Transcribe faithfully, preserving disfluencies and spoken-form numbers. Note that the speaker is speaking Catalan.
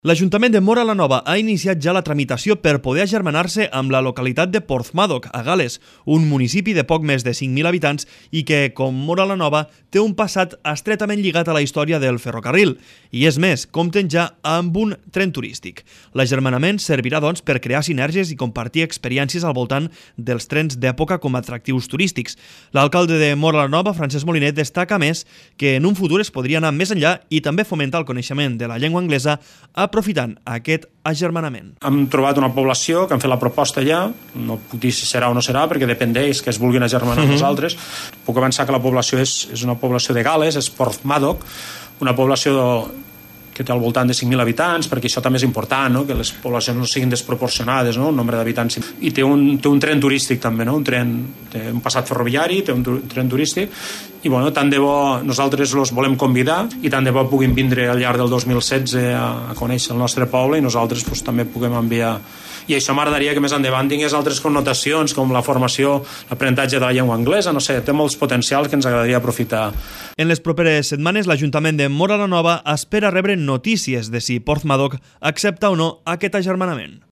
L'Ajuntament de Móra la Nova ha iniciat ja la tramitació per poder agermanar-se amb la localitat de Porthmadog, a Gal·les, un municipi de poc més de cinc mil habitants i que, com Móra la Nova, té un passat estretament lligat a la història del ferrocarril. I és més, compten ja amb un tren turístic. L'agermanament servirà, doncs, per crear sinergies i compartir experiències al voltant dels trens d'època com a atractius turístics. L'alcalde de Móra la Nova, Francesc Molinet, destaca més que en un futur es podria anar més enllà i també fomentar el coneixement de la llengua anglesa aprofitant aquest agermanament. Hem trobat una població que han fet la proposta ja, no puc dir si serà o no serà, perquè depèn d'ells que es vulguin agermanar amb nosaltres. Puc avançar que la població és, és una població de Gal·les, és Porthmadog, una població que té al voltant de cinc mil habitants, perquè això també és important, no? Que les poblacions no siguin desproporcionades, no? El nombre d'habitants. I té un, té un tren turístic també, no? Un tren, té un passat ferroviari, té un tren turístic, i bueno, tant de bo nosaltres els volem convidar i tant de bo puguin vindre al llarg del dos mil setze a, a conèixer el nostre poble i nosaltres pues, també puguem enviar. I això m'agradaria que més endavant tingués altres connotacions com la formació, l'aprenentatge de la llengua anglesa, no sé, té molts potencials que ens agradaria aprofitar. En les properes setmanes, l'Ajuntament de Móra la Nova espera rebre notícies de si Porthmadog accepta o no aquest agermanament.